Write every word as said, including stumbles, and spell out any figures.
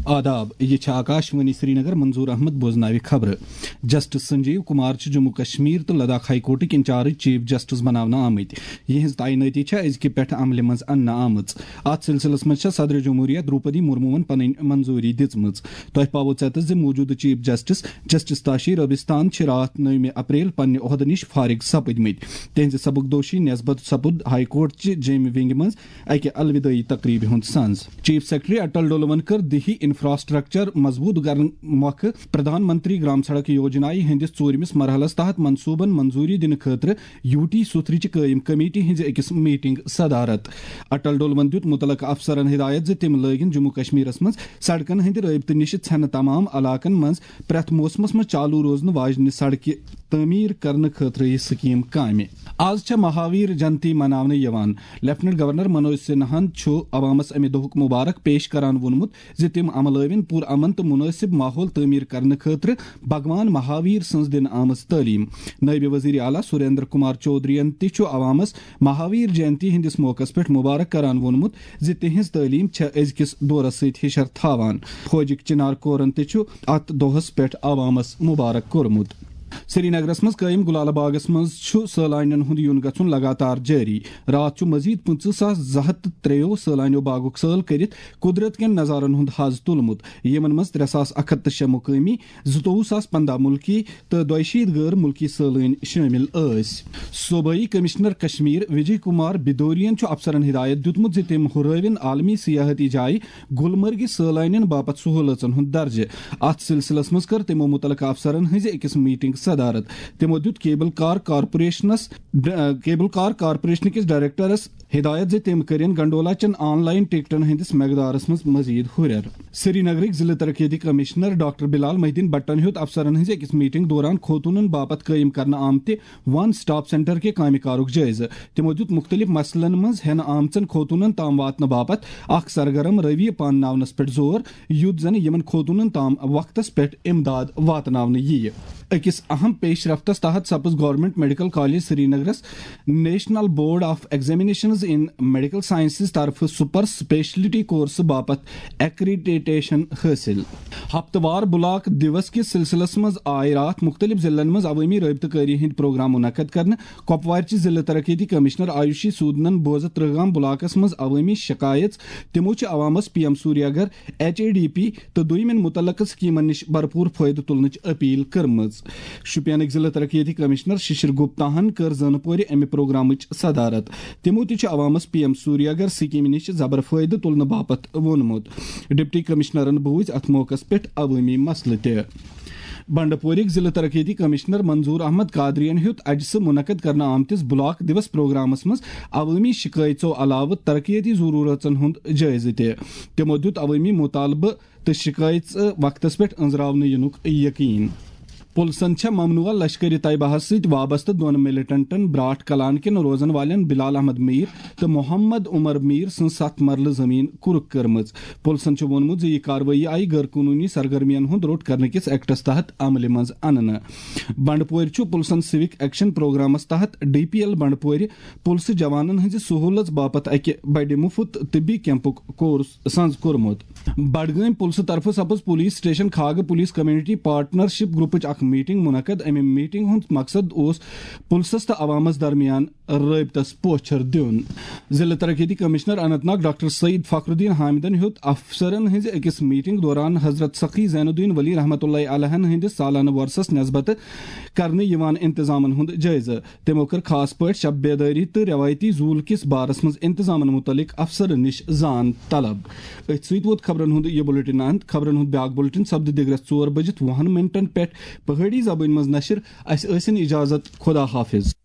آداب، یہِ چھِ آکاشوانی سرینگر، منظور احمد بوزناوِ خبرٕ۔ جسٹس سنجیو کمار چھِ جموں کشمیر تہٕ لداخ ہائی کورٹٕکۍ انچارج چیف جسٹس بناونہٕ آمٕتۍ۔ یِہنٛز تعینٲتی چھےٚ أزکہِ پٮ۪ٹھٕ عملہِ منٛز اننہٕ آمٕژ۔ اتھ سلسلس منٛز چھےٚ صدر جمہوریہ دروپدی مرموہن پنٕنۍ منظوری دِژمٕژ۔ تۄہہِ پاوو ژٮ۪تس زِ موجودٕ chief justice, justice Tashi Rabistan چھِ راتھ نٔومہِ اپریل پننہِ عہدٕ نِش فارغ سپٕدمٕتۍ۔ تِہنٛزِ سبکدوشی نسبت سپُد ہائی کورٹ چہِ جیمہِ ونگہِ منٛز اکہِ الودٲعی تقریبہِ ہُنٛد سنز۔ چیف سیکرٹری اٹل ڈولون کٔر دیہی انفراسٹرکچر مضبوط کرنہٕ مۄکھٕ پردھان منتری گرام سڑک یوجنایہِ ہٕنٛدِس ژوٗرمِس مرحلس تحت منصوبن منظوری دِنہٕ خٲطرٕ یو ٹی سُتھرٕچہِ قٲیِم کمیٹی ہٕنٛزِ أکِس میٹنگ صدارت۔ اٹل ڈولون دیُت مُتعلقہٕ افسرن ہدایت زِ تِم لٲگِن جموں کشمیرس منٛز سڑکن ہٕنٛدِ رٲبطہٕ نِش ژھٮ۪نہٕ تمام علاقن منٛز پرٛٮ۪تھ موسمس منٛز چالو روزنہٕ واجنہِ سڑکہِ تعمیٖر کرنہٕ خٲطرٕ یہِ سکیٖم کامہِ۔ آز چھےٚ مہاویر جنتی مناونہٕ یِوان۔ لیفٹیننٹ گورنر منوج سنہاہن چھُ عوامس امہِ دۄہُک مبارک پیش کران ووٚنمُت زِ تِم عملٲوِن پُر امن تہٕ مناسب ماحول تعمیٖر کرنہٕ خٲطرٕ بھگوان مہاویر سٕنٛز دِنہٕ آمٕژ تعلیٖم۔ نٲیِب وزیر اعلیٰ سریندر کمار چودھرین تہِ چھُ عوامس مہاویر جینتی ہٕنٛدِس موقعس پٮ۪ٹھ مبارک کران ووٚنمُت زِ تِہنٛز تعلیٖم چھےٚ أزکِس دورس سۭتۍ ہِشر تھاوان۔ فوجٕکۍ چنار کورن تہِ چھُ اتھ دۄہس پٮ۪ٹھ عوامس مبارک کوٚرمُت۔ سرینگرس منٛز قٲیِم گلالہ باغس منٛز چھُ سٲلانٮ۪ن ہُنٛد یُن گژھُن لگاتار جٲری۔ راتھ چھُ مزید پٕنٛژٕہ ساس زٕ ہتھ تہٕ ترٛیٚیو سٲلانیو باغُک سٲل کٔرِتھ قدرت کٮ۪ن نظارن ہُنٛد حظ تُلمُت، یِمن منٛز ترٛےٚ ساس اکھ ہتھ تہٕ شےٚ مقٲمی، زٕتووُہ ساس پنٛداہ مُلکی تہٕ دۄیہِ شیٖتھ غٲر مُلکی سٲلٲنۍ شٲمِل ٲسۍ۔ صوبٲئی کمشنر کشمیر وجے کمار بدوریَن چھُ افسرن ہدایت دیُتمُت زِ تِم ہُرٲوِن عالمی سیاحتی جایہِ گلمرگہِ سٲلانٮ۪ن باپتھ سہوٗلژن ہُنٛد درجہٕ۔ اتھ سلسلس منٛز کٔر تِمو مُتعلقہٕ افسرن ہٕنٛزِ أکِس میٹنگ صدارت۔ تِمو دیُت کیبل کار کارپوریشنس، ڈ-، کیبل کار کارپوریشن کِس ڈائریکٹرس ہدایت زِ تِم کٔرِن گنڈولا چٮ۪ن آن لائن ٹکٹن ہٕنٛدِس مقدارس منٛز مزید ہُرٮ۪ر۔ سرینگرٕکۍ ضلع ترقیتی کمشنر ڈاکٹر بلال محی الدین بٹن ہیوٚت افسرن ہٕنٛزِ أکِس میٹنگ دوران خوتونن باپتھ قٲیِم کرنہٕ آمتہِ ون سٹاپ سینٹر کہِ کامہِ کارُک جٲیزٕ۔ تِمو دیُت مُختٔلِف مسلن منٛز ہٮ۪نہٕ آمژن خوتونن تام واتنہٕ باپتھ اکھ سرگرم رویہ پانناونس پٮ۪ٹھ زور، یُتھ زن یِمن خوتونن تام وقتس پٮ۪ٹھ امداد واتناونہٕ یِیہِ۔ أکِس اہم پیش رفتس تحت سپٕز گورنمنٹ میڈیکل کالج سرینگرس National Board of Examinations in Medical Sciences طرفہٕ سپر سپیشلٹی کورسہٕ باپتھ ایکریڈیٹیشن حٲصِل۔ ہفتہٕ وار بلاک دیوس کِس سلسلس منٛز آے راتھ مُختٔلِف ضلعن منٛز عوٲمی رٲبطہٕ کٲری ہٕنٛدۍ پروگرام منعقد کرنہٕ۔ کۄپوارچہِ ضلع ترقیتی کمشنر آیوشی سودنن بوزت ترہگام بلاکس منٛز عوٲمی شکایژ۔ تِمو چھِ عوامس P M Suryaghar, H A D P تہٕ دوٚیمٮ۪ن مُتعلقہٕ سکیمن نِش بھرپوٗر فٲیدٕ تُلنٕچ اپیل کٔرمٕژ۔ شوپینٕکۍ ضلع ترقیتی کمشنر ششر گپتاہن کٔر زٲنہٕ پورِ امہِ پروگرامٕچ صدارت۔ تِمو تہِ چھُ عوامس پی ایم سوریاگر سکیمہِ نِش زبر فٲیدٕ تُلنہٕ باپتھ ووٚنمُت۔ ڈپٹی کمشنرن بوٗزۍ اتھ موقعس پٮ۪ٹھ عوٲمی مسلہٕ تہِ۔ بنڈپورٕکۍ ضلع ترقیتی کمشنر منظور احمد قادریَن ہیوٚت اجہِ سہٕ منعقد کرنہٕ آمتِس بلاک دیوس پروگرامس منٛز عوٲمی شکایژو علاوٕ ترقیتی ضروٗرژن ہُنٛد جٲیزٕ تہِ۔ تِمو دیُت عوٲمی مطالبہٕ تہٕ شکایژٕ وقتس پٮ۪ٹھ أنٛزراونہٕ یِنُک یقین۔ پُلسن چھےٚ ممنوعہ لشکرِ طیبہس سۭتۍ وابستہٕ دۄن ملیٹنٹن براٹھ کلان کٮ۪ن روزن والٮ۪ن بلال احمد میر تہٕ محمد عمر میر سٕنٛز ستھ مرلہٕ زمین کُرک کٔرمٕژ۔ پُلسن چھُ ووٚنمُت زِ یہِ کاروٲیی آیہِ غٲر قونوٗنی سرگرمین ہُنٛد روٚٹ کرنہٕ کِس ایکٹس تحت عملہِ منٛز اننہٕ۔ بنڈپورِ چھُ پُلسن سِوک ایکشن پروگرامس تحت ڈی پی ایل بنڈپورِ پُلسہٕ جوانن ہٕنٛزِ سہوٗلژ باپتھ اکہِ بڑِ مُفت طبی کیمپُک کورس سنٛز کوٚرمُت۔ بڈگٲمۍ پُلسہٕ طرفہٕ سپٕز پُلیٖس سٹیشن کھاگہٕ پُلیٖس کمیونٹی پارٹنرشپ گروپٕچ اکھ میٹنگ منعقد۔ امہِ میٹنگ ہُنٛد مقصد اوس پُلسس تہٕ عوامس درمیان رٲبطس پوچھر دیُن۔ ضلع ترقیتی کمشنر اننت ناگ ڈاکٹر سعید فخر الدین حامدن ہیوٚت افسرن ہٕنٛزِ أکِس میٹنگ دوران حضرت سخی زین الدین ولی رحمتہ اللہ علیہن ہٕنٛدِس سالانہٕ وۄرثس نسبت کرنہٕ یِوان انتظامن ہُنٛد جٲیزٕ۔ تِمو کٔر خاص پٲٹھۍ شب بیدٲری تہٕ رٮ۪وٲیتی زوٗل کِس بارس منٛز انتظامن مُتعلق افسرن نِش زان طلب۔ أتھۍ سۭتۍ ووت خبرن ہُنٛد یہِ بُلٹن اند۔ خبرن ہُنٛد بیٛاکھ بُلٹن سپدِ دِگرس ژور بجِتھ وُہن منٹن پٮ۪ٹھ پہٲڑی زبٲنۍ منٛز نشر۔ اسہِ ٲسِن اجازت، خدا حافظ۔